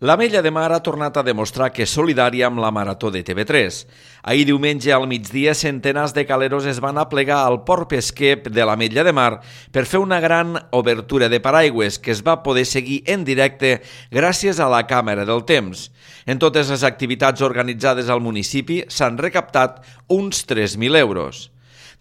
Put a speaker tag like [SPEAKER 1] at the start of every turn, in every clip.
[SPEAKER 1] L'Ametlla de Mar ha tornat a demostrar que és solidària amb la Marató de TV3. Ahir diumenge al migdia, centenars de caleros es van aplegar al port pesquer de l'Ametlla de Mar per fer una gran obertura de paraigües que es va poder seguir en directe gràcies a la càmera del temps. En totes les activitats organitzades al municipi s'han recaptat uns 3.000 euros.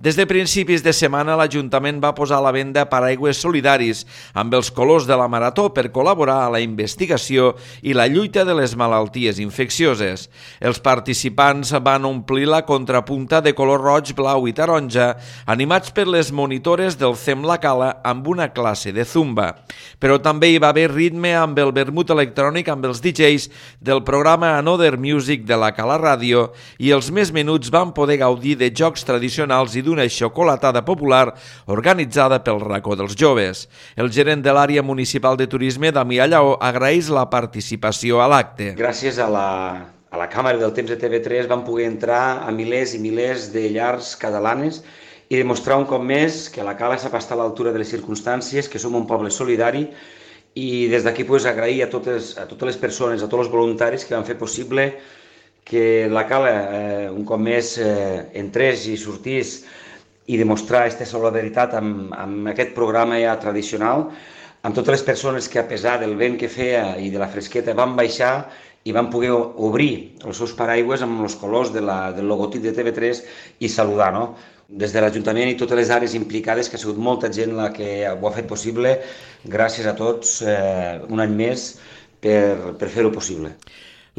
[SPEAKER 1] Des de principis de setmana, l'Ajuntament va posar a la venda paraigües solidaris amb els colors de la Marató per col·laborar a la investigació i la lluita de les malalties infeccioses. Els participants van omplir la contrapunta de color roig, blau i taronja, animats per les monitores del CEM La Cala amb una classe de zumba. Però també hi va haver ritme amb el vermut electrònic amb els DJs del programa Another Music de la Cala Ràdio i els més menuts van poder gaudir de jocs tradicionals i d'una xocolatada popular organitzada pel Racó dels Joves. El gerent de l'àrea municipal de turisme, Damià Lleó, agraeix la participació a l'acte.
[SPEAKER 2] Gràcies a la càmera del temps de TV3 vam poder entrar a milers i milers de llars catalanes i demostrar un cop més que la Cala sap estar a l'altura de les circumstàncies, que som un poble solidari i des d'aquí agrair a totes les persones, a tots els voluntaris que van fer possible que la Cala un cop més entrés i sortís i demostrar aquesta solidaritat amb aquest programa ja tradicional, amb totes les persones que a pesar del vent que feia i de la fresqueta van baixar i van poder obrir els seus paraigües amb els colors del logotip de TV3 i saludar, no? Des de l'Ajuntament i totes les àrees implicades, que ha sigut molta gent la que ho ha fet possible, gràcies a tots un any més per fer-ho possible.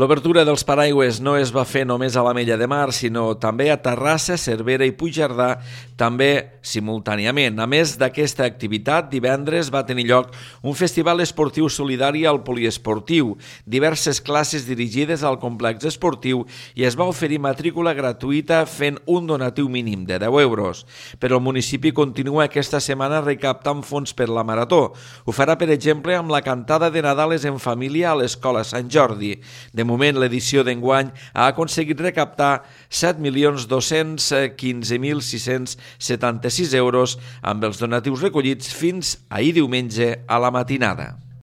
[SPEAKER 1] L'obertura dels paraigües no es va fer només a l'Ametlla de Mar, sinó també a Terrassa, Cervera i Puigcerdà, també simultàniament. A més d'aquesta activitat, divendres va tenir lloc un festival esportiu solidari al poliesportiu, diverses classes dirigides al complex esportiu i es va oferir matrícula gratuïta fent un donatiu mínim de 10 euros. Però el municipi continua aquesta setmana recaptant fons per la Marató. Ho farà, per exemple, amb la cantada de Nadales en família a l'Escola Sant Jordi. De moment, l'edició d'enguany ha aconseguit recaptar 7.215.676 euros amb els donatius recollits fins ahir diumenge a la matinada.